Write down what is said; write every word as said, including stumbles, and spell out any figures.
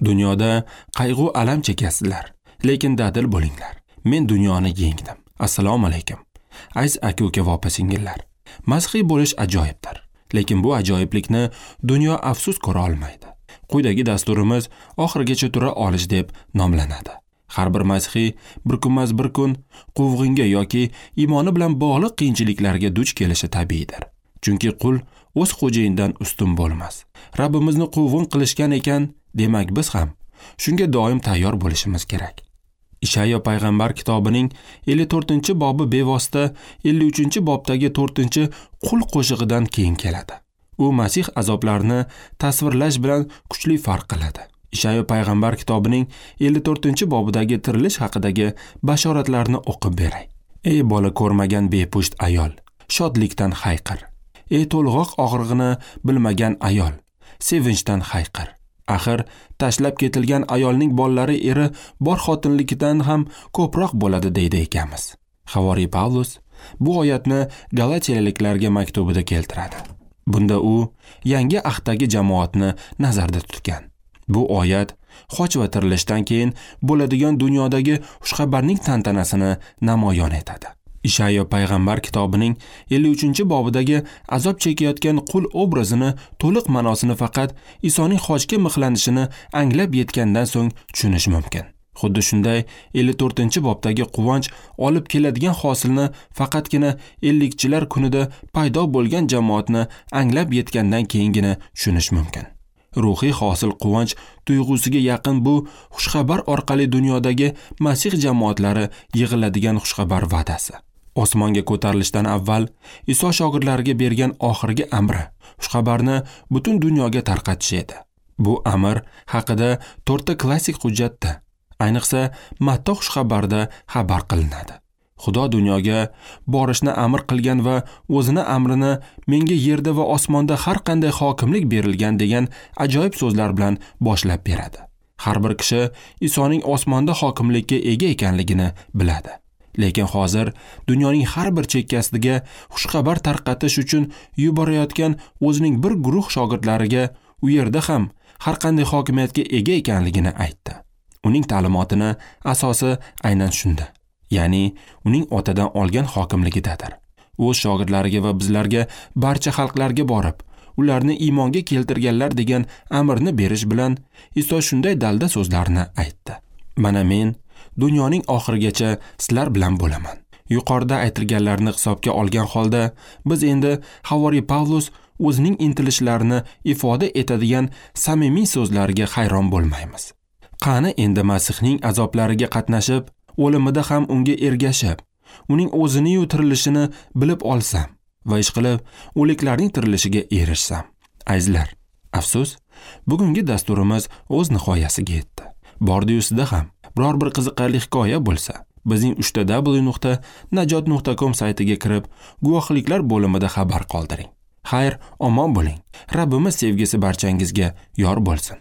Dunyoda qayg'u alam chekasizlar, lekin dadil bo'linglar. Men dunyoni yengdim. Assalomu alaykum. Aziz aka-uka va opa-singillar. Masihiy bo'lish ajoyibdir, lekin bu ajoyiblikni dunyo afsus ko'ra olmaydi. Quyidagi dasturimiz oxirigacha tura olish deb nomlanadi. Har bir masihiy bir kunmas bir kun quvg'inga yoki iymoni bilan bog'liq qiyinchiliklarga duch kelishi tabiiydir. Chunki qul o'z xo'jayinidan ustun bo'lmas. Rabbimizni quvg'in qilishgan ekan, demak biz ham shunga doim tayyor bo'lishimiz kerak. Ishayo payg'ambar kitobining ellik to'rtinchi bobi bevosita ellik uchinchi bobdagi to'rtinchi qul qo'shig'idan keyin keladi. U Masih azoblarini tasvirlash bilan kuchli farq qiladi. Ishayo payg'ambar kitobining ellik to'rtinchi bobidagi tirilish haqidagi bashoratlarni o'qib beray. Ey bola ko'rmagan bepusht ayol, shodlikdan hayqir. Ey to'lg'oq og'rig'ini bilmagan ayol, sevinchdan hayqir. Axir tashlab ketilgan ayolning bolalari eri bor xotinlikidan ham ko'proq bo'ladi deydi ekanmiz. Havoriy Pavlus bu oyatni Galatiyaliklarga maktubida keltiradi. Bunda u yangi ahdagi jamoatni nazarda tutgan. Bu oyat xoch va tirilishdan keyin bo'ladigan dunyodagi xushxabarning tantanasini namoyon etadi. Ishayo payg'ambar kitobining ellik uchinchi bobidagi azob chekayotgan qul obrazini to'liq ma'nosini faqat Isoning xochga mixlanishini anglab yetgandan so'ng tushunish mumkin. Xuddi shunday ellik to'rtinchi bobdagi quvonch olib keladigan hosilni faqatgina ellikchilar kunida paydo bo'lgan jamoatni anglab yetgandan keyingina tushunish mumkin. Ruhiy hosil quvonch tuyg'usiga yaqin bu xushxabar orqali dunyodagi Masih jamoatlari yig'iladigan xushxabar va'dasi. Osmonga ko'tarilishdan avval Iso shogirdlariga bergan oxirgi amri xushxabarni butun dunyoga tarqatish edi. Bu amr haqida to'rtta klassik hujjatda, ayniqsa Matta xushxabarida xabar qilinadi. Xudo dunyoga borishni amr qilgan va o'zini amrini menga yerda va osmonda har qanday hokimlik berilgan degan ajoyib so'zlar bilan boshlab beradi. Har bir kishi Isoning osmonda hokimlikka ega ekanligini biladi. Lekin hozir dunyoning har bir chekkasiga xushxabar tarqatish uchun yuborayotgan o'zining bir guruh shogirdlariga u yerda ham har qanday hokimiyatga ega ekanligini aytdi. Uning ta'limotini asosi aynan shunda, ya'ni uning otadan olgan hokimligidadir. O'z shogirdlariga va bizlarga barcha xalqlarga borib, ularni iymonga keltirganlar degan amrni berish bilan Iso shunday dalda so'zlarni aytdi. Mana men dunyoning oxirigacha sizlar bilan bo'laman. Yuqorida aytilganlarni hisobga olgan holda biz endi Havoriy Pavlus o'zining intilishlarini ifoda etadigan samimiy so'zlariga hayron bo'lmaymiz. Qani endi Masihning azoblariga qatnashib, o'limida ham unga ergashib, uning o'zini-yu tirilishini bilib olsam va ishqilib o'liklarning tirilishiga erishsam. Azizlar, afsus, bugungi dasturimiz o'z nihoyasiga yetdi. Bordi-yu sizda ham biror bir qiziqarli hikoya bo'lsa, bizning uch ta w nuqta najot nuqta com saytiga kirib, guvohliklar bo'limida xabar qoldiring. Xayr, omon bo'ling. Rabbimiz sevgisi barchangizga yor bo'lsin.